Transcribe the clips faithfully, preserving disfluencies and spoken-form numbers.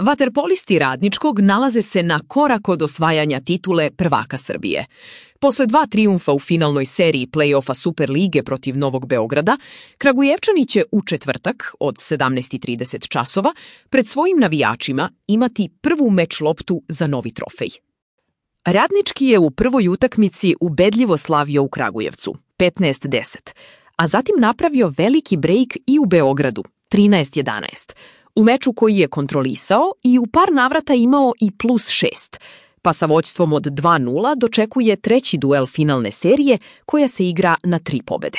Vaterpolisti Radničkog nalaze se na korak od osvajanja titule prvaka Srbije. Posle dva trijumfa u finalnoj seriji play-offa Superlige protiv Novog Beograda, Kragujevčani će u četvrtak od sedamnaest i trideset časova pred svojim navijačima imati prvu meč loptu za novi trofej. Radnički je u prvoj utakmici ubedljivo slavio u Kragujevcu, petnaest deset, a zatim napravio veliki brejk i u Beogradu, trinaest jedanaest, u meču koji je kontrolisao i u par navrata imao i plus šest, pa sa vođstvom od dva nula dočekuje treći duel finalne serije koja se igra na tri pobede.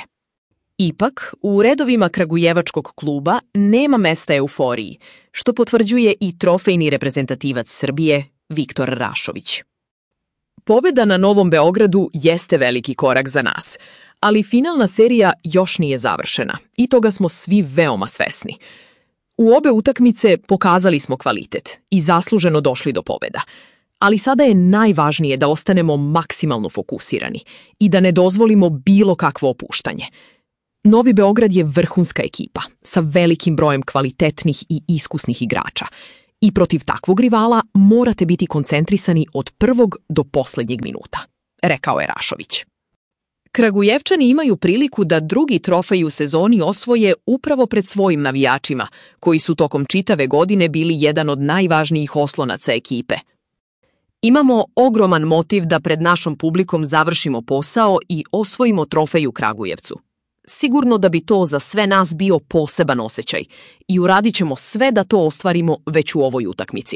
Ipak, u redovima kragujevačkog kluba nema mesta euforiji, što potvrđuje i trofejni reprezentativac Srbije Viktor Rašović. Pobeda na Novom Beogradu jeste veliki korak za nas, ali finalna serija još nije završena i toga smo svi veoma svesni. U obe utakmice pokazali smo kvalitet i zasluženo došli do pobeda, ali sada je najvažnije da ostanemo maksimalno fokusirani i da ne dozvolimo bilo kakvo opuštanje. Novi Beograd je vrhunska ekipa sa velikim brojem kvalitetnih i iskusnih igrača i protiv takvog rivala morate biti koncentrisani od prvog do poslednjeg minuta, rekao je Rašović. Kragujevčani imaju priliku da drugi trofej u sezoni osvoje upravo pred svojim navijačima, koji su tokom čitave godine bili jedan od najvažnijih oslonaca ekipe. Imamo ogroman motiv da pred našom publikom završimo posao i osvojimo trofej u Kragujevcu. Sigurno da bi to za sve nas bio poseban osjećaj i uradit ćemo sve da to ostvarimo već u ovoj utakmici.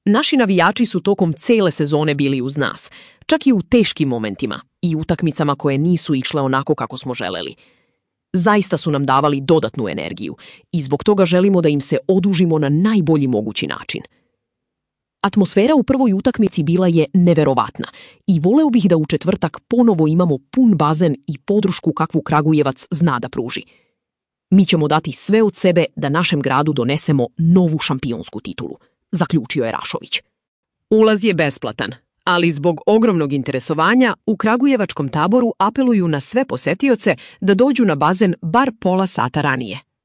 Naši navijači su tokom cele sezone bili uz nas, čak i u teškim momentima i utakmicama koje nisu išle onako kako smo želeli. Zaista su nam davali dodatnu energiju i zbog toga želimo da im se odužimo na najbolji mogući način. Atmosfera u prvoj utakmici bila je neverovatna i voleo bih da u četvrtak ponovo imamo pun bazen i podršku kakvu Kragujevac zna da pruži. Mi ćemo dati sve od sebe da našem gradu donesemo novu šampionsku titulu, zaključio je Rašović. Ulaz je besplatan, ali zbog ogromnog interesovanja u kragujevačkom taboru apeluju na sve posetioce da dođu na bazen bar pola sata ranije.